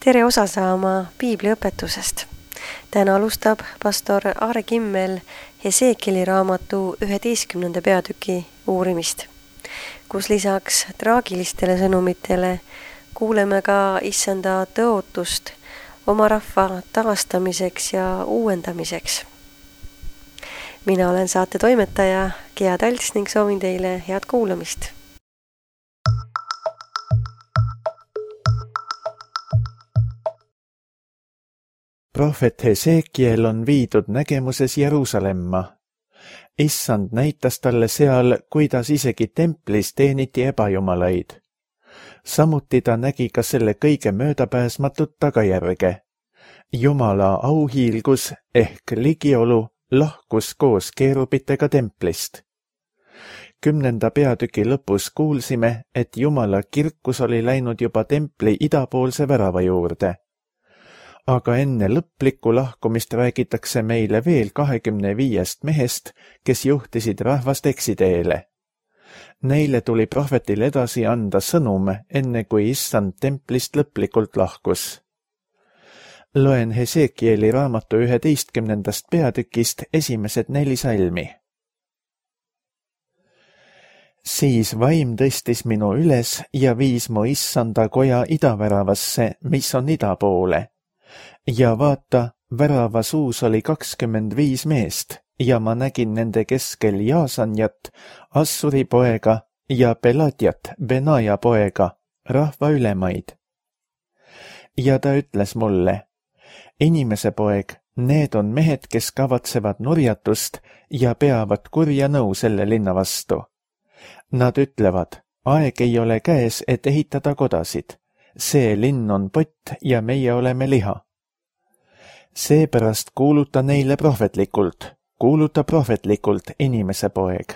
Tere osa saama piibliõpetusest. Täna alustab pastor Aare Kimmel Hesekieli raamatu 11. peatüki uurimist, kus lisaks traagilistele sõnumitele kuuleme ka issanda tõotust oma rahva taastamiseks ja uuendamiseks. Mina olen saate toimetaja Gea Talts ning soovin teile head kuulamist. Prohvet Hesekiel on viidud nägemuses Jeruusalemma. Issand näitas talle seal, kuidas isegi templis teeniti ebajumalaid. Samuti ta nägi ka selle kõige möödapääsmatut tagajärge. Jumala auhiilgus ehk ligiolu lahkus koos keerubitega templist. 10. peatüki lõpus kuulsime, et Jumala kirkus oli läinud juba templi idapoolse värava juurde. Aga enne lõplikku lahkumist räägitakse meile veel 25 mehest, kes juhtisid rahvast eksiteele. Neile tuli prohvetil edasi anda sõnum, enne kui issand templist lõplikult lahkus. Loen Hesekieli raamatu 11. peatükist esimesed 4 salmi. Siis vaim tõstis minu üles ja viis mu issanda koja idaväravasse, mis on ida poole. Ja vaata, värava suus oli 25 meest ja ma nägin nende keskel Jaasanjat, Assuri poega ja Peladjat, Benaja poega, rahva ülemaid. Ja ta ütles mulle, inimese poeg, need on mehed, kes kavatsevad nurjatust ja peavad kurja nõu selle linna vastu. Nad ütlevad, aeg ei ole käes, et ehitada kodasid. See linn on pott ja meie oleme liha. Seepärast kuuluta neile prohvetlikult, inimese poeg.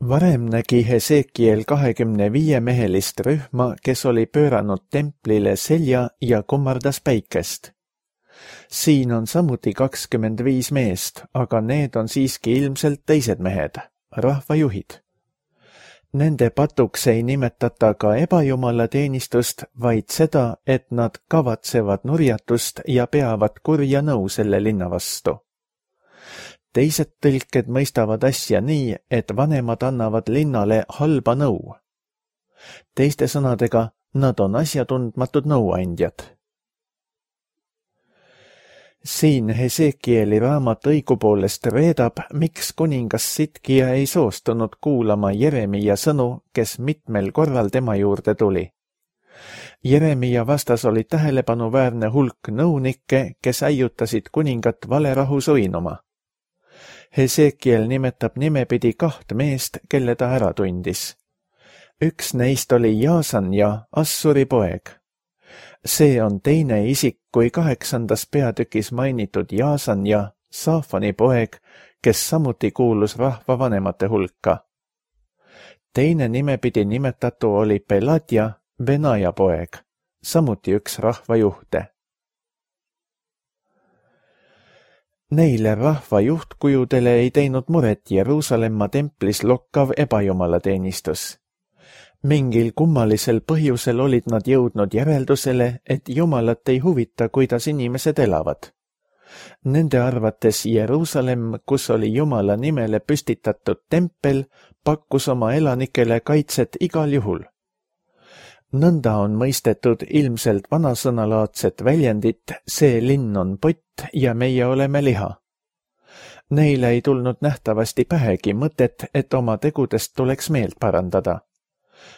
Varem nägi Hesekiel 25 mehelist rühma, kes oli pööranud templile selja ja kummardas päikest. Siin on samuti 25 meest, aga need on siiski ilmselt teised mehed, rahvajuhid. Nende patuks ei nimetata ka ebajumala teenistust, vaid seda, et nad kavatsevad nurjatust ja peavad kurja nõu selle linna vastu. Teised tõlked mõistavad asja nii, et vanemad annavad linnale halba nõu. Teiste sõnadega, nad on asjatundmatud nõuandjad. Siin Hesekieli raamat õigupoolest reedab, miks kuningas Sitkija ei soostunud kuulama Jeremia sõnu, kes mitmel korral tema juurde tuli. Jeremia vastas oli tähelepanuväärne hulk nõunikke, kes äiutasid kuningat valerahu suinuma. Hesekiel nimetab nimepidi 2 meest, kelle ta ära tundis. Üks neist oli Jaasanja, Assuri poeg. See on teine isik kui 8. peatükis mainitud Jaasanja, Saafani poeg, kes samuti kuulus rahva vanemate hulka. Teine nimepidi nimetatu oli Peladja, Benaja poeg, samuti üks rahvajuhte. Neile rahva juhtkujudele ei teinud muret Jeruusalemma templis lokkav ebajumalateenistus. Mingil kummalisel põhjusel olid nad jõudnud järeldusele, et Jumalat ei huvita, kuidas inimesed elavad. Nende arvates Jeruusalemm, kus oli Jumala nimele püstitatud tempel, pakkus oma elanikele kaitset igal juhul. Nõnda on mõistetud ilmselt vanasõnalaadset väljendit, see linn on pott ja meie oleme liha. Neile ei tulnud nähtavasti pähegi mõtet, et oma tegudest tuleks meelt parandada.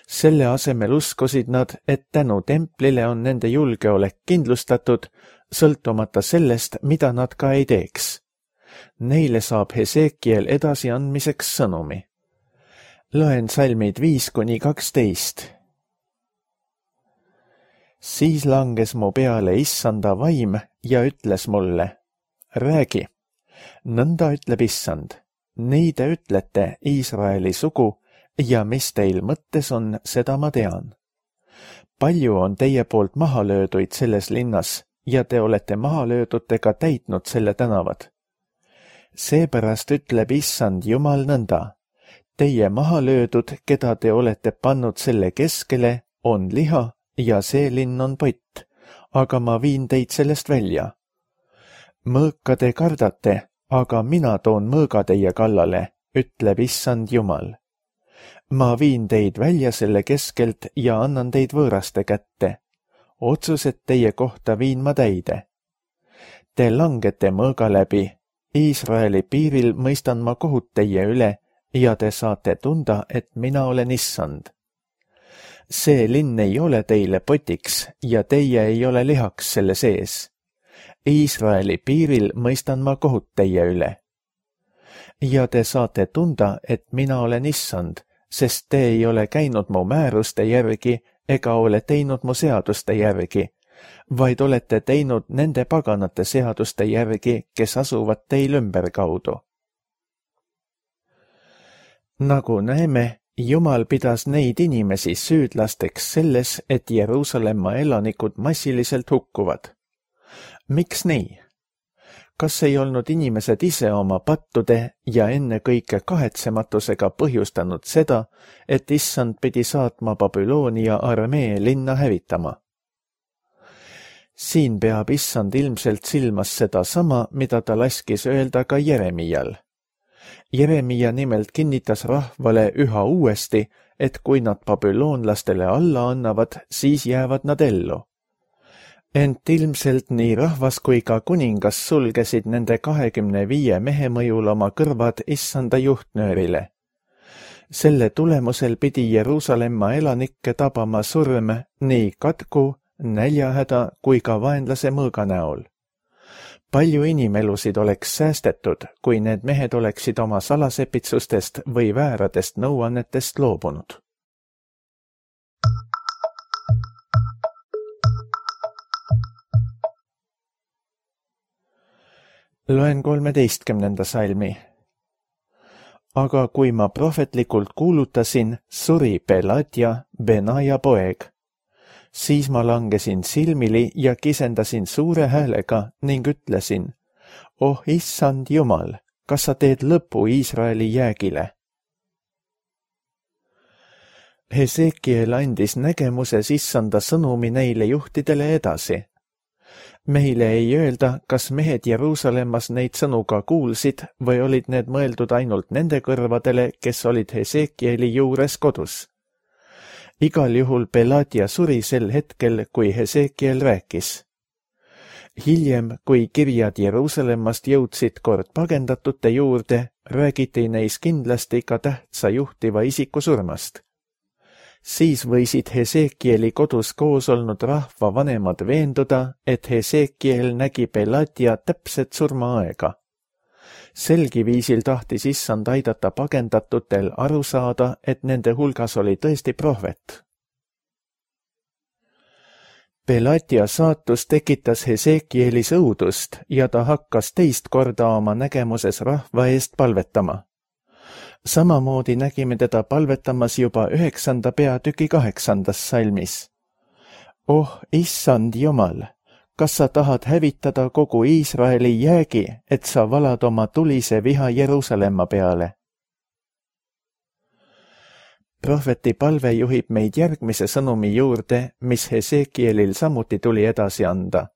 Selle asemel uskusid nad, et tänu templile on nende julgeolek kindlustatud, sõltumata sellest, mida nad ka ei teeks. Neile saab Hesekiel edasiandmiseks sõnumi. Loen salmid 5-12. Siis langes mu peale issanda vaim ja ütles mulle, räägi, nõnda ütleb issand, nii te ütlete Iisraeli sugu, ja mis teil mõttes on, seda ma tean. Palju on teie poolt maha lööduid selles linnas ja te olete mahalöödutega täitnud selle tänavad. Seepärast ütleb issand Jumal nõnda, teie mahalöödud, keda te olete pannud selle keskele, on liha ja see linn on pott, aga ma viin teid sellest välja. Mõõka te kardate, aga mina toon mõõga teie kallale, ütleb issand Jumal. Ma viin teid välja selle keskelt ja annan teid võõraste kätte. Otsused teie kohta viin ma täide. Te langete mõõga läbi, Iisraeli piiril mõistan ma kohut teie üle ja te saate tunda, et mina olen issand. See linn ei ole teile potiks ja teie ei ole lihaks selle sees. Iisraeli piiril mõistan ma kohut teie üle. Ja te saate tunda, et mina olen issand, sest te ei ole käinud mu määruste järgi ega ole teinud mu seaduste järgi, vaid olete teinud nende paganate seaduste järgi, kes asuvad teil ümberkaudu. Nagu näeme, Jumal pidas neid inimesi süüdlasteks selles, et Jeruusalemma elanikud massiliselt hukkuvad. Miks nii? Kas ei olnud inimesed ise oma pattude ja ennekõike kahetsematusega põhjustanud seda, et issand pidi saatma Babyloonia armee linna hävitama? Siin peab issand ilmselt silmas seda sama, mida ta laskis öelda ka Jeremial. Jeremia nimelt kinnitas rahvale üha uuesti, et kui nad babüloonlastele alla annavad, siis jäävad nad ellu. Ent ilmselt nii rahvas kui ka kuningas sulgesid nende 25 mehe mõjul oma kõrvad issanda juhtnöörile. Selle tulemusel pidi Jeruusalemma elanikke tabama surm nii katku, näljahäda kui ka vaenlase mõõga näol. Palju inimelusid oleks säästetud, kui need mehed oleksid oma salasepitsustest või vääradest nõuannetest loobunud. Loen 13. salmi. Aga kui ma prohvetlikult kuulutasin, suri Pelatia, Benaja poeg. Siis ma langesin silmili ja kisendasin suure häälega ning ütlesin, oh issand Jumal, kas sa teed lõpu Iisraeli jäägile? Hesekiel andis nägemuses issanda sõnumi neile juhtidele edasi. Meile ei öelda, kas mehed Jeruusalemmas neid sõnu ka kuulsid või olid need mõeldud ainult nende kõrvadele, kes olid Hesekieli juures kodus. Igal juhul Pelatia suri sel hetkel, kui Hesekiel rääkis. Hiljem, kui kirjad Jeruusalemmast jõudsid kord pagendatute juurde, räägiti neis kindlasti ka tähtsa juhtiva isiku surmast. Siis võisid Hesekieli kodus koos olnud rahva vanemad veenduda, et Hesekiel nägi Pelatia täpset surmaaega. Selgi viisil tahtis issand aidata pagendatutel aru saada, et nende hulgas oli tõesti prohvet. Pelatia saatus tekitas Hesekielis õudust ja ta hakkas teist korda oma nägemuses rahva eest palvetama. Samamoodi nägime teda palvetamas juba 9. peatüki 8. salmis. Oh, issand Jumal, kas sa tahad hävitada kogu Iisraeli jäägi, et sa valad oma tulise viha Jeruusalemma peale? Prohveti palve juhib meid järgmise sõnumi juurde, mis Hesekielil samuti tuli edasi anda.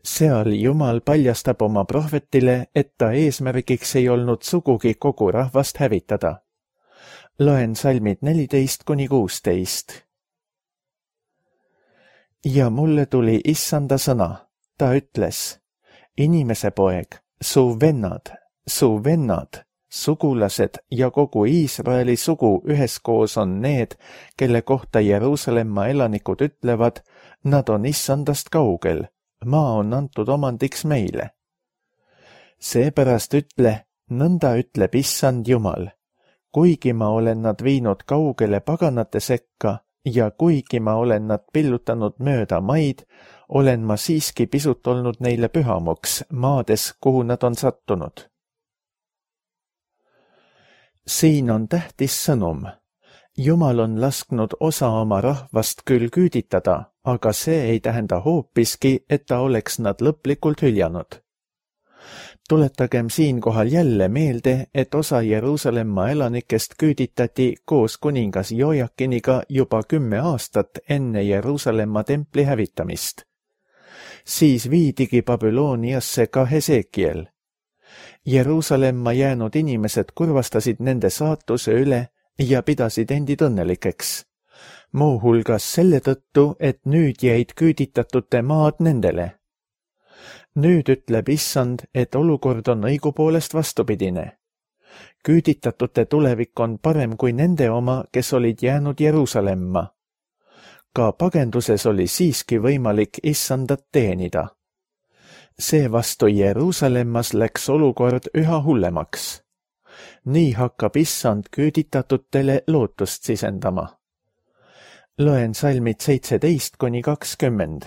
Seal Jumal paljastab oma prohvetile, et ta eesmärgiks ei olnud sugugi kogu rahvast hävitada. Loen salmid 14-16. Ja mulle tuli issanda sõna. Ta ütles, inimese poeg, su vennad, sugulased ja kogu Iisraeli sugu üheskoos on need, kelle kohta Jeruusalemma elanikud ütlevad, nad on issandast kaugel. Maa on antud omandiks meile. Seepärast ütle, nõnda ütleb issand Jumal, kuigi ma olen nad viinud kaugele paganate sekka ja kuigi ma olen nad pillutanud mööda maid, olen ma siiski pisut olnud neile pühamuks maades, kuhu nad on sattunud. Siin on tähtis sõnum. Jumal on lasknud osa oma rahvast küll küüditada, aga see ei tähenda hoopiski, et ta oleks nad lõplikult hüljanud. Tuletagem siinkohal jälle meelde, et osa Jeruusalemma elanikest küüditati koos kuningas Jojakiniga juba 10 aastat enne Jeruusalemma templi hävitamist. Siis viidigi Babyloniasse ka Hesekiel. Jeruusalemma jäänud inimesed kurvastasid nende saatuse üle ja pidasid endid õnnelikeks. Muuhulgas selle tõttu, et nüüd jäid küüditatute maad nendele. Nüüd ütleb Issand, et olukord on õigupoolest vastupidine. Küüditatute tulevik on parem kui nende oma, kes olid jäänud Jeruusalemma. Ka pagenduses oli siiski võimalik Issandat teenida. Seevastu Jeruusalemmas läks olukord üha hullemaks. Nii hakkab Issand küüditatutele lootust sisendama. Loen salmid 17–20.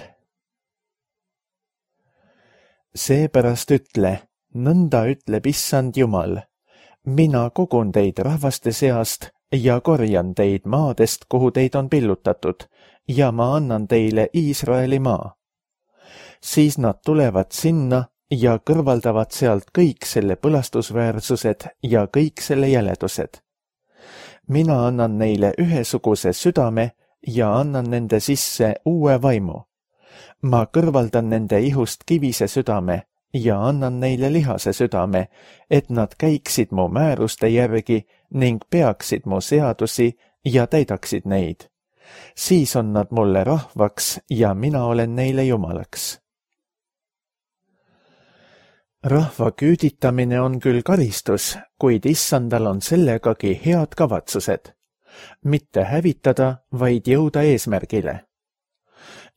Seepärast ütle, nõnda ütleb Issand Jumal, mina kogun teid rahvaste seast ja korjan teid maadest, kuhu teid on pillutatud, ja ma annan teile Iisraeli maa. Siis nad tulevad sinna ja kõrvaldavad sealt kõik selle põlastusväärsused ja kõik selle jäledused. Mina annan neile ühesuguse südame ja annan nende sisse uue vaimu. Ma kõrvaldan nende ihust kivise südame ja annan neile lihase südame, et nad käiksid mu määruste järgi ning peaksid mu seadusi ja täidaksid neid. Siis on nad mulle rahvaks ja mina olen neile Jumalaks. Rahva küüditamine on küll karistus, kuid Issandal on sellegagi head kavatsused. Mitte hävitada, vaid jõuda eesmärgile.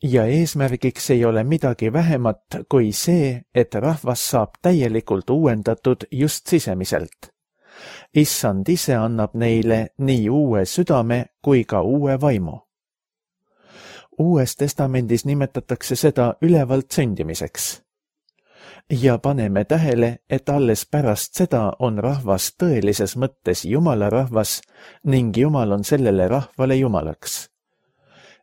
Ja eesmärgiks ei ole midagi vähemat kui see, et rahvas saab täielikult uuendatud just sisemiselt. Issand ise annab neile nii uue südame kui ka uue vaimu. Uues testamendis nimetatakse seda ülevalt sündimiseks. Ja paneme tähele, et alles pärast seda on rahvas tõelises mõttes Jumala rahvas ning Jumal on sellele rahvale Jumalaks.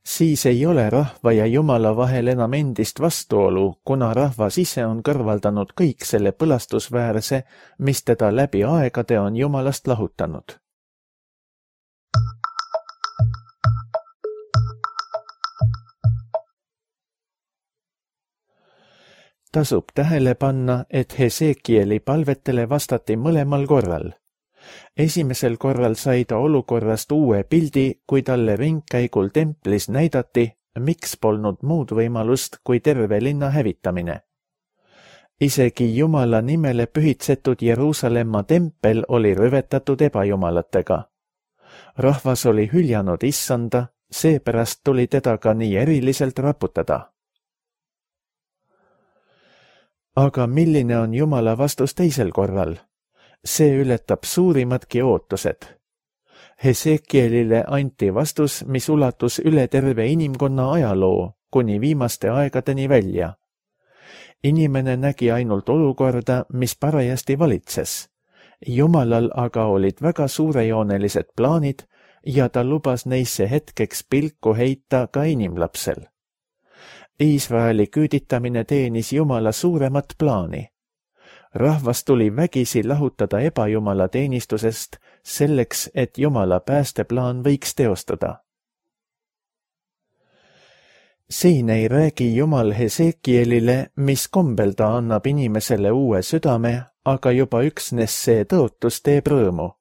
Siis ei ole rahva ja Jumala vahel enam endist vastuolu, kuna rahvas ise on kõrvaldanud kõik selle põlastusväärse, mis teda läbi aegade on Jumalast lahutanud. Tasub tähele panna, et Hesekieli palvetele vastati mõlemal korral. Esimesel korral sai ta olukorrast uue pildi, kui talle ringkäigul templis näidati, miks polnud muud võimalust kui terve linna hävitamine. Isegi Jumala nimele pühitsetud Jeruusalemma tempel oli rüvetatud ebajumalatega. Rahvas oli hüljanud Issanda, seepärast tuli teda ka nii eriliselt raputada. Aga milline on Jumala vastus teisel korral? See ületab suurimadki ootused. Hesekielile anti vastus, mis ulatus üle terve inimkonna ajaloo, kuni viimaste aegadeni välja. Inimene nägi ainult olukorda, mis parajasti valitses. Jumalal aga olid väga suurejoonelised plaanid ja ta lubas neisse hetkeks pilku heita ka inimlapsel. Iisraeli küüditamine teenis Jumala suuremat plaani. Rahvas tuli vägisi lahutada ebajumala teenistusest selleks, et Jumala päästeplaan võiks teostada. Siin ei räägi Jumal Hesekielile, mis kombel ta annab inimesele uue südame, aga juba üksnes see tõotus teeb rõõmu.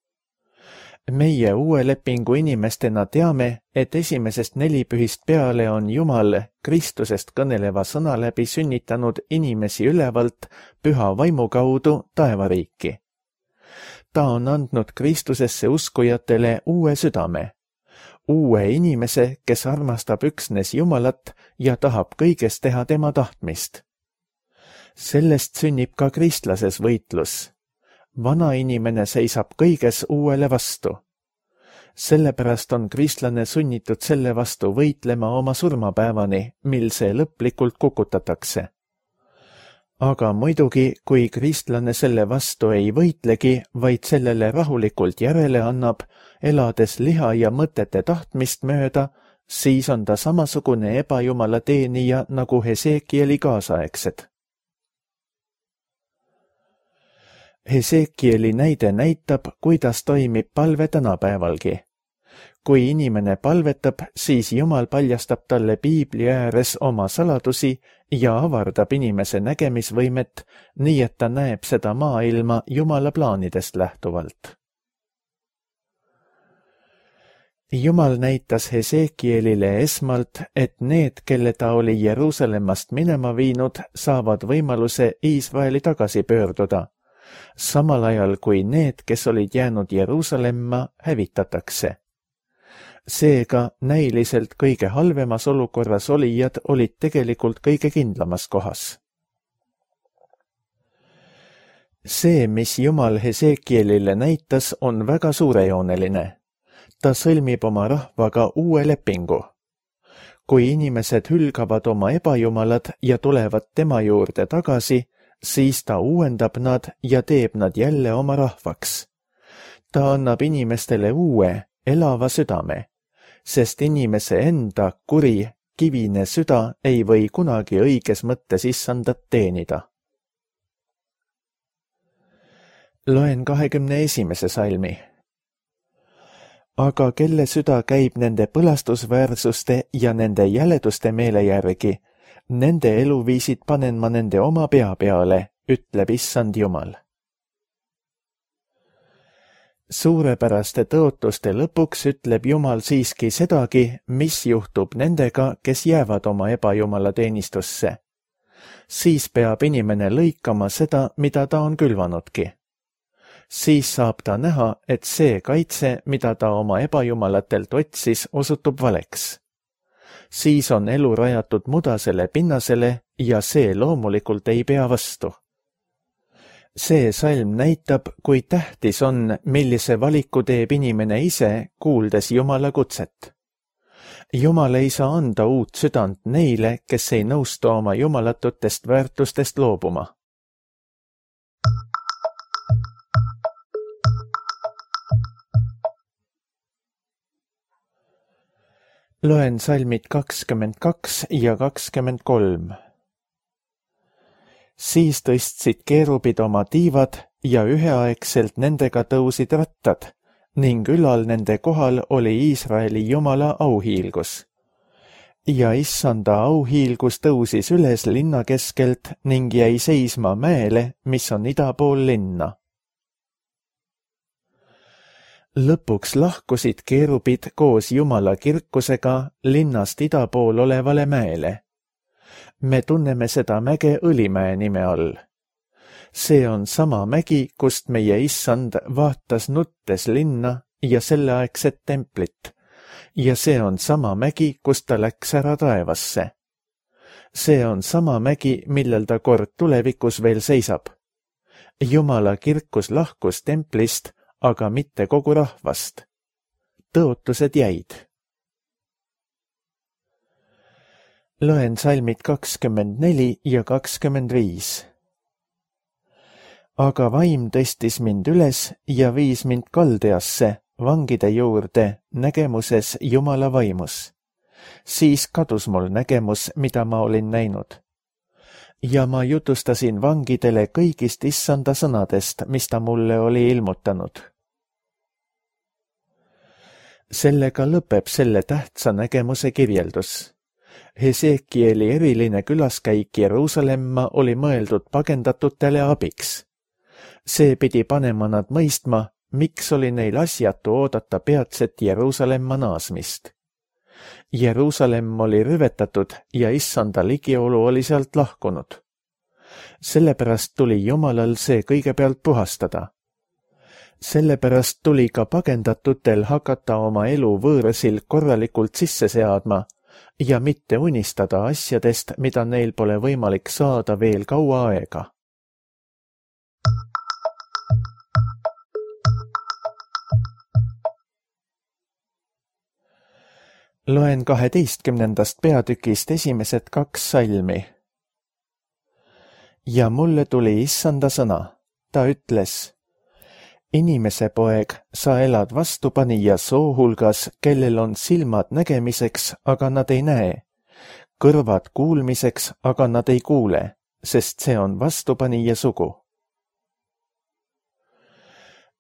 Meie uue lepingu inimestena teame, et esimesest nelipühist peale on Jumal Kristusest kõneleva sõna läbi sünnitanud inimesi ülevalt püha vaimu kaudu taevariiki. Ta on andnud Kristusesse uskujatele uue südame, uue inimese, kes armastab üksnes Jumalat ja tahab kõiges teha tema tahtmist. Sellest sünnib ka kristlases võitlus. Vana inimene seisab kõiges uuele vastu. Sellepärast on kristlane sunnitud selle vastu võitlema oma surmapäevani, mil see lõplikult kukutatakse. Aga muidugi, kui kristlane selle vastu ei võitlegi, vaid sellele rahulikult järele annab, elades liha ja mõtete tahtmist mööda, siis on ta samasugune ebajumala teenija nagu Hesekieli kaasaegsed. Hesekieli näide näitab, kuidas toimib palve tänapäevalgi. Kui inimene palvetab, siis Jumal paljastab talle piibli ääres oma saladusi ja avardab inimese nägemisvõimet, nii et ta näeb seda maailma Jumala plaanidest lähtuvalt. Jumal näitas Hesekielile esmalt, et need, kelle ta oli Jeruusalemmast minema viinud, saavad võimaluse Iisraeli tagasi pöörduda, samal ajal kui need, kes olid jäänud Jeruusalemma, hävitatakse. Seega näiliselt kõige halvemas olukorras olijad olid tegelikult kõige kindlamas kohas. See, mis Jumal Hesekielile näitas, on väga suurejooneline. Ta sõlmib oma rahvaga uue lepingu. Kui inimesed hülgavad oma ebajumalad ja tulevad tema juurde tagasi, siis ta uuendab nad ja teeb nad jälle oma rahvaks. Ta annab inimestele uue, elava südame, sest inimese enda kuri, kivine süda ei või kunagi õiges mõttes issandat teenida. Loen 21. salmi. Aga kelle süda käib nende põlastusväärsuste ja nende jäleduste meele järgi, nende eluviisid panen ma nende oma pea peale, ütleb issand Jumal. Suurepäraste tõotuste lõpuks ütleb Jumal siiski sedagi, mis juhtub nendega, kes jäävad oma ebajumala teenistusse. Siis peab inimene lõikama seda, mida ta on külvanudki. Siis saab ta näha, et see kaitse, mida ta oma ebajumalatelt otsis, osutub valeks. Siis on elu rajatud mudasele pinnasele ja see loomulikult ei pea vastu. See salm näitab, kui tähtis on, millise valiku teeb inimene ise, kuuldes Jumala kutset. Jumal ei saa anda uut südant neile, kes ei nõustu oma jumalatutest väärtustest loobuma. Loen salmid 22 ja 23. Siis tõstsid keerubid oma tiivad ja üheaegselt nendega tõusid rattad ning ülal nende kohal oli Iisraeli Jumala auhiilgus. Ja issanda auhiilgus tõusis üles linna keskelt ning jäi seisma mäele, mis on ida pool linna. Lõpuks lahkusid keerubid koos Jumala kirkusega linnast ida pool olevale mäele. Me tunneme seda mäge Õlimäe nime all. See on sama mägi, kust meie issand vaatas nuttes linna ja selleaegset templit. Ja see on sama mägi, kust ta läks ära taevasse. See on sama mägi, millel ta kord tulevikus veel seisab. Jumala kirkus lahkus templist, aga mitte kogu rahvast. Tõotused jäid. Loen salmid 24 ja 25. Aga vaim tõstis mind üles ja viis mind Kaldeasse, vangide juurde, nägemuses Jumala vaimus. Siis kadus mul nägemus, mida ma olin näinud. Ja ma jutustasin vangidele kõigist issanda sõnadest, mis ta mulle oli ilmutanud. Sellega lõpeb selle tähtsa nägemuse kirjeldus. Hesekieli eriline külaskäik Jeruusalemma oli mõeldud pagendatutele abiks. See pidi panema nad mõistma, miks oli neil asjatu oodata peatset Jeruusalemma naasmist. Jeruusalemm oli rüvetatud ja issanda ligiolu oli sealt lahkunud. Sellepärast tuli Jumalal see kõigepealt puhastada. Sellepärast tuli ka pagendatutel hakata oma elu võõrasil korralikult sisse seadma ja mitte unistada asjadest, mida neil pole võimalik saada veel kaua aega. Loen 12. peatükist esimesed 2 salmi. Ja mulle tuli issanda sõna. Ta ütles: Inimese poeg, sa elad vastupanija soo hulgas, kellel on silmad nägemiseks, aga nad ei näe, kõrvad kuulmiseks, aga nad ei kuule, sest see on vastupanija sugu.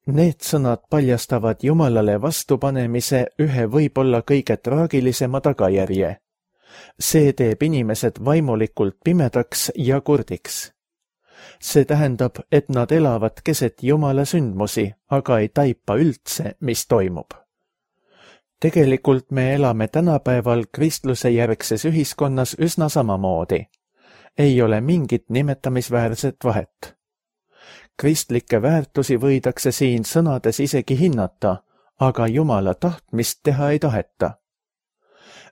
Need sõnad paljastavad Jumalale vastupanemise ühe võib-olla kõige traagilisema tagajärje. See teeb inimesed vaimulikult pimedaks ja kurdiks. See tähendab, et nad elavad keset Jumala sündmusi, aga ei taipa üldse, mis toimub. Tegelikult me elame tänapäeval kristluse järgses ühiskonnas üsna samamoodi. Ei ole mingit nimetamisväärset vahet. Kristlikke väärtusi võidakse siin sõnades isegi hinnata, aga Jumala tahtmist teha ei taheta.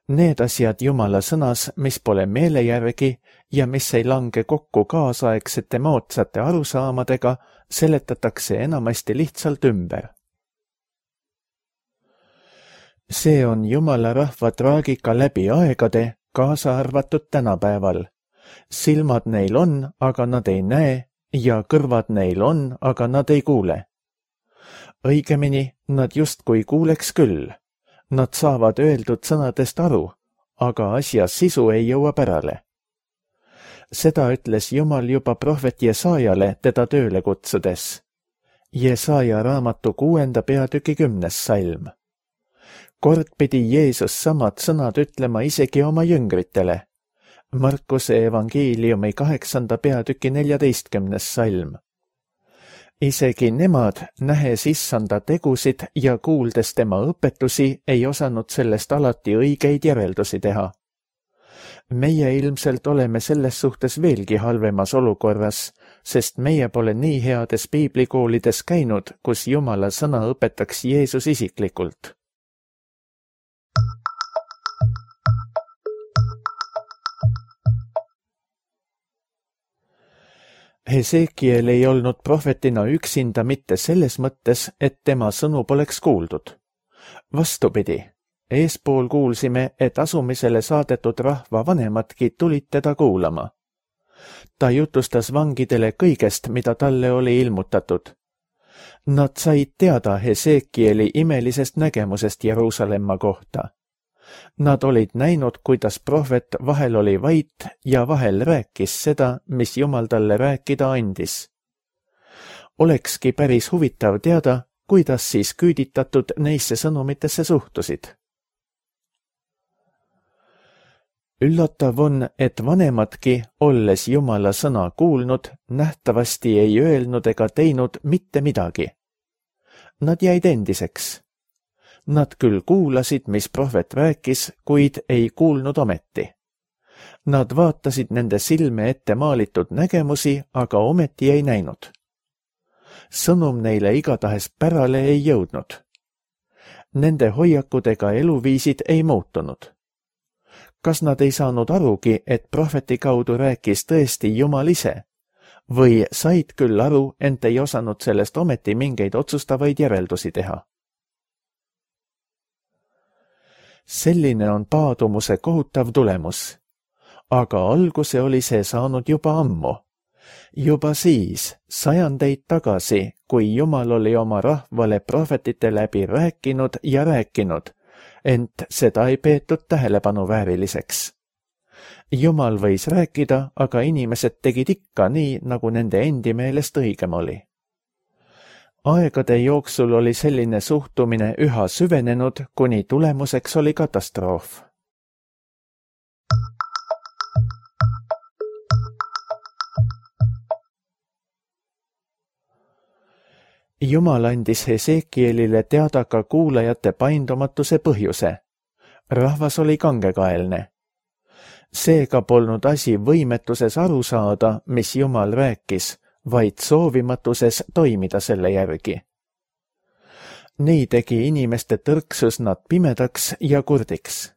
Need asjad Jumala sõnas, mis pole meele järgi ja mis ei lange kokku kaasaegsete moodsate arusaamadega, seletatakse enamasti lihtsalt ümber. See on Jumala rahva traagika läbi aegade, kaasa arvatud tänapäeval. Silmad neil on, aga nad ei näe, ja kõrvad neil on, aga nad ei kuule. Õigemini, nad justkui kuuleks küll. Nad saavad öeldud sõnadest aru, aga asja sisu ei jõua pärale. Seda ütles Jumal juba prohvet Jesaajale teda tööle kutsudes. Jesaja raamatu 6. peatüki 10. salm. Kord pidi Jeesus samad sõnad ütlema isegi oma jüngritele. Markuse evangeeliumi 8. peatüki 14. salm. Isegi nemad, nähes issanda tegusid ja kuuldes tema õpetusi, ei osanud sellest alati õigeid järeldusi teha. Meie ilmselt oleme selles suhtes veelgi halvemas olukorras, sest meie pole nii heades piiblikoolides käinud, kus Jumala sõna õpetaks Jeesus isiklikult. Hesekiel ei olnud prohvetina üksinda mitte selles mõttes, et tema sõnu poleks kuuldud. Vastupidi, eespool kuulsime, et asumisele saadetud rahva vanemadki tulid teda kuulama. Ta jutustas vangidele kõigest, mida talle oli ilmutatud. Nad said teada Hesekieli imelisest nägemusest Jeruusalemma kohta. Nad olid näinud, kuidas prohvet vahel oli vait ja vahel rääkis seda, mis Jumal talle rääkida andis. Olekski päris huvitav teada, kuidas siis küüditatud neisse sõnumitesse suhtusid. Üllatav on, et vanemadki, olles Jumala sõna kuulnud, nähtavasti ei öelnud ega teinud mitte midagi. Nad jäid endiseks. Nad küll kuulasid, mis prohvet rääkis, kuid ei kuulnud ometi. Nad vaatasid nende silme ette maalitud nägemusi, aga ometi ei näinud. Sõnum neile igatahes pärale ei jõudnud. Nende hoiakud ega eluviisid ei muutunud. Kas nad ei saanud arugi, et prohveti kaudu rääkis tõesti Jumal ise? Või said küll aru, ent ei osanud sellest ometi mingeid otsustavaid järeldusi teha? Selline on paadumuse kohutav tulemus. Aga alguse oli see saanud juba ammu. Juba siis, sajandeid tagasi, kui Jumal oli oma rahvale prohvetite läbi rääkinud ja rääkinud, ent seda ei peetud tähelepanu vääriliseks. Jumal võis rääkida, aga inimesed tegid ikka nii, nagu nende endi meelest õigem oli. Aegade jooksul oli selline suhtumine üha süvenenud, kuni tulemuseks oli katastroof. Jumal andis Hesekielile teada ka kuulajate paindumatuse põhjuse. Rahvas oli kangekaelne. Seega polnud asi võimetuses aru saada, mis Jumal rääkis, vaid soovimatuses toimida selle järgi. Nii tegi inimeste tõrksus nad pimedaks ja kurdiks.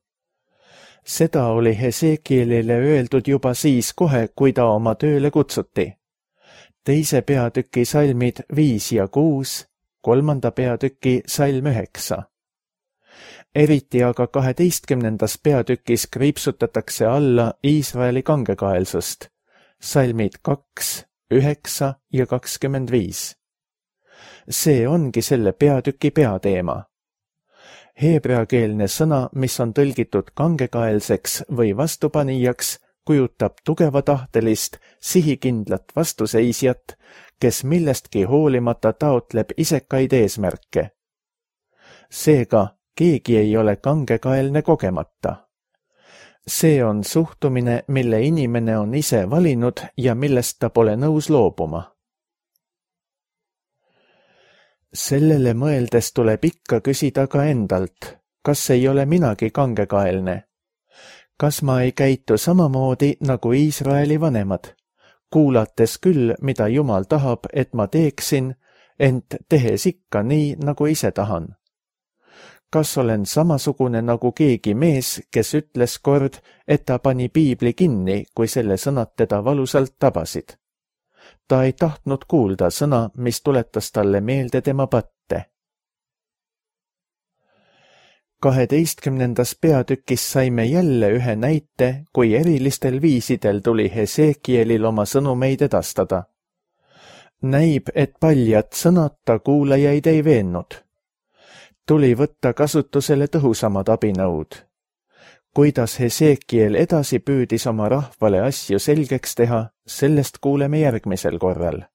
Seda oli Hesekielile öeldud juba siis kohe, kui ta oma tööle kutsuti. 2. peatüki salmid 5 ja 6, 3. peatüki salm 9. Eriti aga 12. peatükis kriipsutatakse alla Iisraeli kangekaelsust, salmid 2, 9 ja 25. See ongi selle peatüki peateema. Heebreakeelne sõna, mis on tõlgitud kangekaelseks või vastupanijaks, kujutab tugevatahtelist, sihikindlat vastuseisjat, kes millestki hoolimata taotleb isekaid eesmärke. Seega keegi ei ole kangekaelne kogemata. See on suhtumine, mille inimene on ise valinud ja millest ta pole nõus loobuma. Sellele mõeldes tuleb ikka küsida ka endalt, kas ei ole minagi kangekaelne? Kas ma ei käitu samamoodi nagu Iisraeli vanemad, kuulates küll, mida Jumal tahab, et ma teeksin, ent tehes ikka nii, nagu ise tahan? Kas olen samasugune nagu keegi mees, kes ütles kord, et ta pani piibli kinni, kui selle sõnad teda valusalt tabasid? Ta ei tahtnud kuulda sõna, mis tuletas talle meelde tema patte. 12. peatükis saime jälle ühe näite, kui erilistel viisidel tuli Hesekielil oma sõnumeid edastada. Näib, et paljad sõnad ta kuulajaid ei veennud. Tuli võtta kasutusele tõhusamad abinõud. Kuidas Hesekiel edasi püüdis oma rahvale asju selgeks teha, sellest kuuleme järgmisel korral.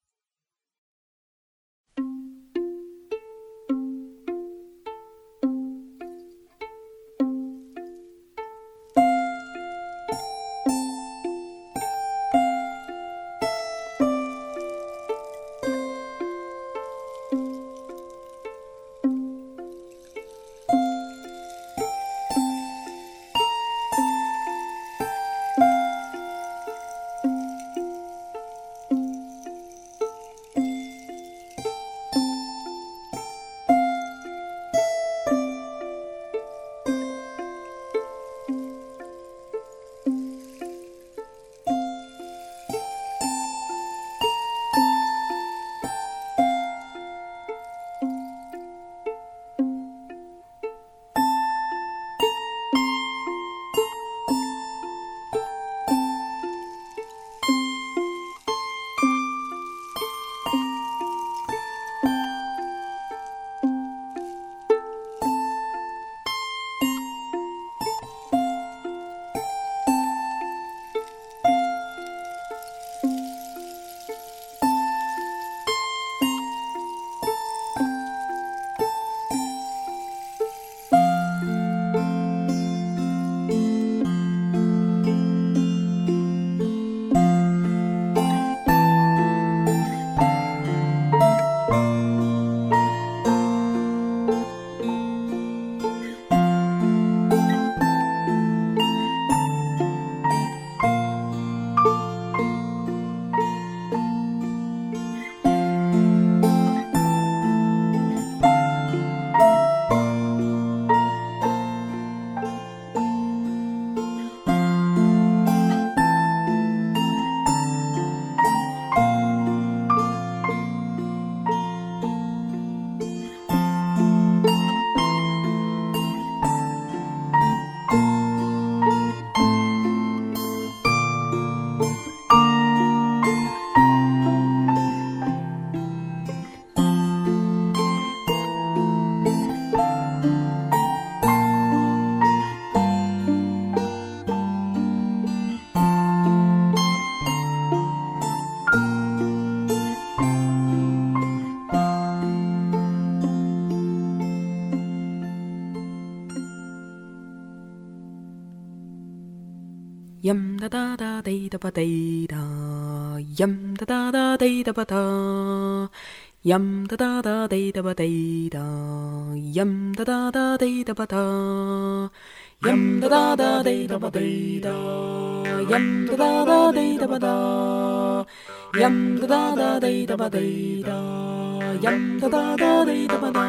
Yam da da da day da ba day da. Yam da da da day da ba da. Yam da da da day da ba day da. Yam da da da day da ba da. Yam da da da day da ba day da. Yam da da da day da ba da. Yam da da da day da ba day da. Yam da da da day da ba da.